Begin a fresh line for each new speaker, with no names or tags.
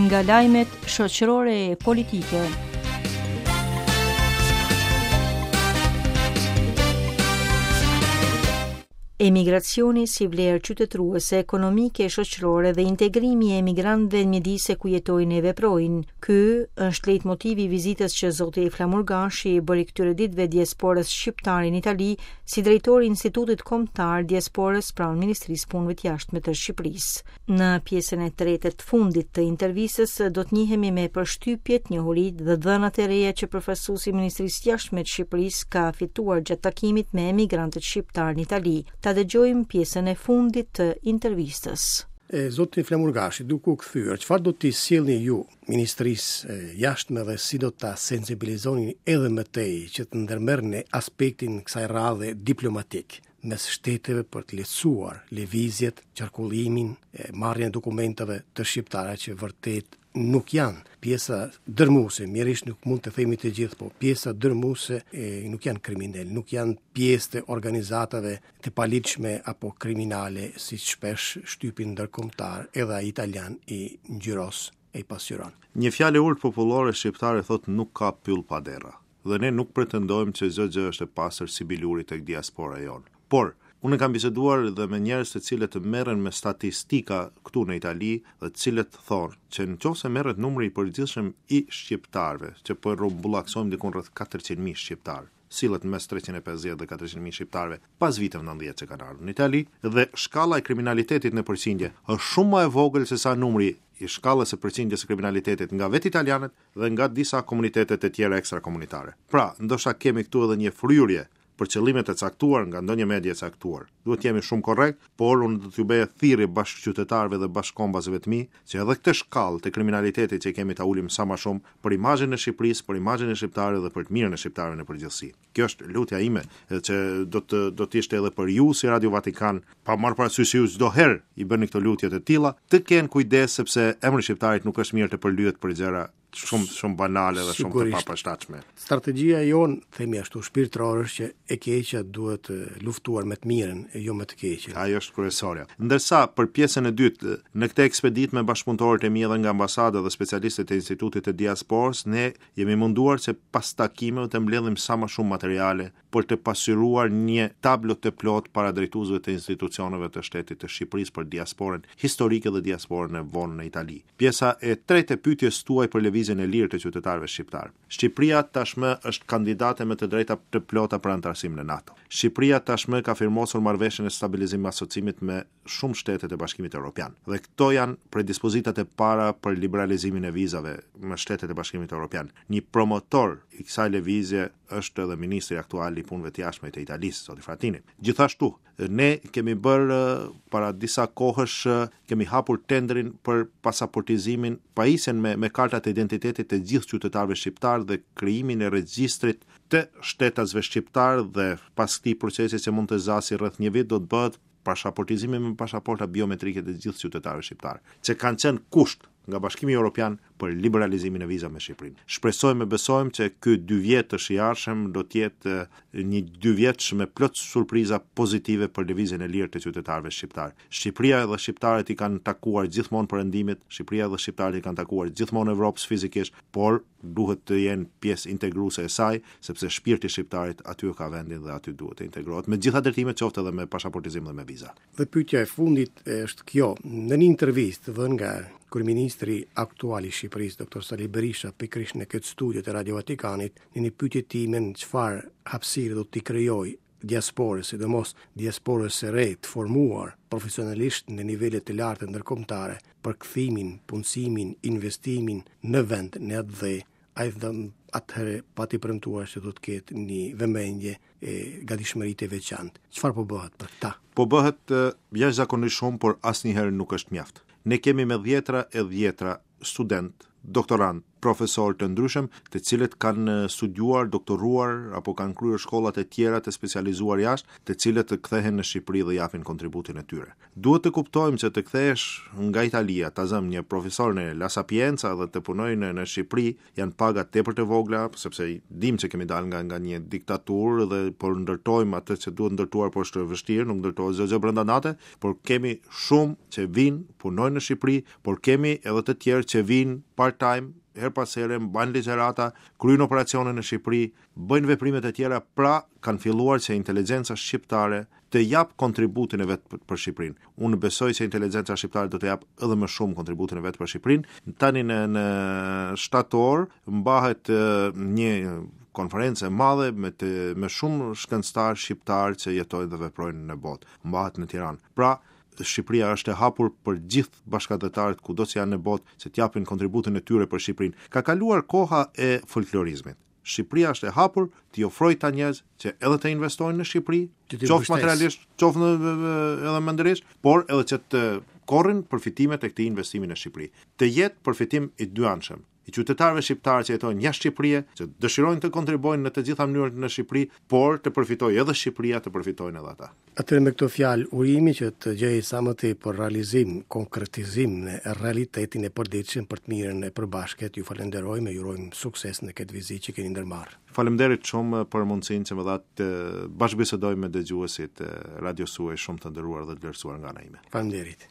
Nga lajmet shoqërore e politike. Emigracioni si vlerë qytetëruese, ekonomike e shoqërore dhe integrimi i emigrantëve në mjedise ku jetojnë e veprojnë. Ky është lejtmotivi i vizitës që zoti Flamur Gashi i bëri këtyre ditëve diasporës shqiptare në Itali si drejtor i Institutit Kombëtar Diasporës pranë Ministrisë së Punëve të Jashtme të Shqipërisë. Në pjesën e tretë të fundit të intervistës do të njihemi me përshtypjet, njohuritë dhe dhënat e reja që përfaqësuesi i Ministrisë së Jashtme të Shqipërisë ka fituar gjatë takimit me emigrantët shqiptarë në Itali. Ta dëgjojmë pjesën e fundit të intervistës.
E, zoti Flamur Gashi, duke u kthyer, çfarë do t'i sillni ju Ministrisë së Jashtme dhe si do ta sensibilizoni edhe më tej që të ndërmerrni aspektin kësaj radhe diplomatik? mes shteteve për të lehtësuar lëvizjet, qarkullimin, marrjen e dokumentave të shqiptarëve që vërtet nuk janë pjesa dërmuese, mjerisht nuk mund të themi të gjithë, po pjesa dërmuese e, nuk janë kriminelë, nuk janë pjesë të organizatave të paligjshme apo kriminale, siç shpesh shtypi ndërkombëtar edhe ai italian i ngjyros e i pasqyron.
Një fjalë e urtë popullore shqiptare thotë nuk ka pyll pa derra. Dhe ne nuk pretendojmë që çdo gjë është e pastër si biluri tek diaspora jonë. Por, unë kam biseduar dhe me njerëz të cilët merren me statistika këtu në Itali dhe të cilët thonë që në qoftë se merret numri i përgjithshëm i shqiptarëve, që po e rrumbullaksojmë diku rreth 400.000 shqiptarë, sillet në mes 350 dhe 400.000 shqiptarëve pas viteve 90 që kanë ardhur në Itali dhe shkalla e kriminalitetit në përqindje është shumë më e vogël se sa numri i shkallës së përqindjes së kriminalitetit nga vetë italianët dhe nga disa komunitete të tjera ekstrakomunitare. Pra, ndoshta kemi këtu edhe një fryrje për qëllime të caktuar nga ndonjë media e caktuar. Duhet të jemi shumë korrekt, por unë do t'ju bëja thirrje bashkëqytetarëve dhe bashkëkombasve të mi që edhe këtë shkallë të kriminalitetit që kemi ta ulim sa më shumë për imazhin e Shqipërisë, për imazhin e shqiptarëve dhe për të mirën e shqiptarëve në përgjithësi. Kjo është lutja ime, edhe që do të do të ishte edhe për ju si Radio Vatikan, pa marrë parasysh se ju çdo herë i bëni këto lutje të tilla, të kenë kujdes sepse emri i shqiptarit nuk është mirë të përlyhet për gjëra shumë shumë banale dhe shumë të papërshtatshme.
Strategjia jonë, themi ashtu shpirtërore është që e keqja duhet luftuar me të mirën e jo me të keqen.
Ajo është kryesorja. Ndërsa për pjesën e dytë, në këtë ekspeditë me bashkëpunëtorët e mi edhe nga ambasada dhe specialistët e Institutit të Diasporës, ne Jemi munduar që pas takimeve të mbledhim sa më shumë materiale për të pasqyruar një tablo të plotë para drejtuesve të institucioneve të shtetit të Shqipërisë për diasporën historike dhe diasporën e vonë në Itali. Pjesa e tretë e pyetjes tuaj për lëvizjen e lirë të qytetarëve shqiptarë. Shqipëria tashmë është kandidate me të drejta të plota për anëtarësim në NATO. Shqipëria tashmë ka firmosur marrëveshjen e stabilizim asociimit me shumë shtete të Bashkimit Evropian. Dhe këto janë predispozitat e para për liberalizimin e vizave me shtetet e Bashkimit Evropian. Një promotor i kësaj lëvizje është edhe ministri aktual i Punëve të Jashtme të Italisë, zoti Frattini. Gjithashtu, ne kemi bërë para disa kohësh kemi hapur tenderin për pasaportizimin, pajisjen me me kartat e identitetit të gjithë qytetarëve shqiptarë dhe krijimin e regjistrit të shtetasve shqiptarë dhe pas këtij procesi që mund të zgjasë rreth një vit do të bëhet pashaportizimi me pashaporta biometrike të gjithë qytetarëve shqiptarë, që kanë qenë kusht nga Bashkimi Evropian për liberalizimin e vizave me Shqipërinë. Shpresojmë e besojmë që ky dy vjetësh i ardhshëm do të jetë një dy vjetësh me plot surpriza pozitive për lëvizjen e lirë të qytetarëve shqiptarë. Shqipëria dhe shqiptarët i kanë takuar gjithmonë perëndimit, Shqipëria dhe shqiptarët i kanë takuar gjithmonë Evropës fizikisht, por duhet të jenë pjesë integruese e saj, sepse shpirti i shqiptarit aty e ka vendin dhe aty duhet të integrohet me të gjitha drejtimet, qoftë edhe me pashaportizim dhe me
viza. Dhe pyetja e fundit është kjo, në një intervistë dhënë nga kryeministri aktual i Shqipërisë, Dr. Sali Berisha, pikërisht në këtë studio të Radio Vatikanit, në një pyetje timen çfarë hapësire do t'i krijojë diasporës, sidomos diasporës së re të formuar profesionalisht në nivele të larta ndërkombëtare për kthimin, punësimin, investimin në vend, në atdhe, ai dhe atëherë pati premtuar se do të ketë një vëmendje e gatishmëri të veçantë. Çfarë po bëhet për
këta? Po bëhet jashtëzakonisht shumë, por asnjëherë nuk është mjaft. Ne kemi me dhjetra e dhjetra studentë, doktorantë, profesorë të ndryshëm, të cilët kanë studiuar, doktoruar apo kanë kryer shkollat e tjera të specializuar jashtë, të cilët kthehen në Shqipëri dhe japin kontributin e tyre. Duhet të kuptojmë që të kthehesh nga Italia, ta zëmë një profesor në La Sapienza dhe të punojë në, në Shqipëri, janë paga tepër të vogla, sepse dimë që kemi dalë nga nga një diktaturë dhe po ndërtojmë atë që duhet ndërtuar, por është e vështirë, nuk ndërtohet çdo gjë brenda nate, por kemi shumë që vijnë, punojnë në Shqipëri, por kemi edhe të tjerë që vijnë part-time, herë pas here, mbajnë ligjërata, kryejnë operacione në Shqipëri, bëjnë veprime të tjera, pra kanë filluar që inteligjenca shqiptare të japë kontributin e vet për Shqipërinë. Unë besoj se inteligjenca shqiptare do të japë edhe më shumë kontributin e vet për Shqipërinë. Tani në në shtator mbahet një konferencë e madhe me të me shumë shkencëtarë shqiptarë që jetojnë dhe veprojnë në botë. Mbahet në Tiranë. Pra, Shqipëria është e hapur për gjithë bashkatdhetarët kudo që janë në botë që të japin kontributin e tyre për Shqipërinë. Ka kaluar koha e folklorizmit. Shqipëria është e hapur t'i ofrojë këta njerëz që edhe të investojnë në Shqipëri, qoftë materialisht, qoftë në, edhe mendërisht, por edhe që të korrin përfitimet e këtij investimi në Shqipëri. Të jetë përfitim i dyanshëm i qytetarëve shqiptarë që jetojnë jashtë Shqipërie, që dëshirojnë të kontribuojnë në të gjitha mënyrat në Shqipëri, por të përfitojë edhe Shqipëria, të përfitojnë edhe
ata. Atëherë me këto fjalë urimi që të gjejë sa më tepër realizim, konkretizim në realitetin e përditshëm për të mirën e përbashkët, ju falenderojmë e ju urojmë sukses në këtë vizitë që keni ndërmarrë.
Faleminderit shumë për mundësinë që më dhatë të bashkëbisedoj me dëgjuesit e radios suaj shumë të nderuar dhe të vlerësuar nga ana
ime. Faleminderit.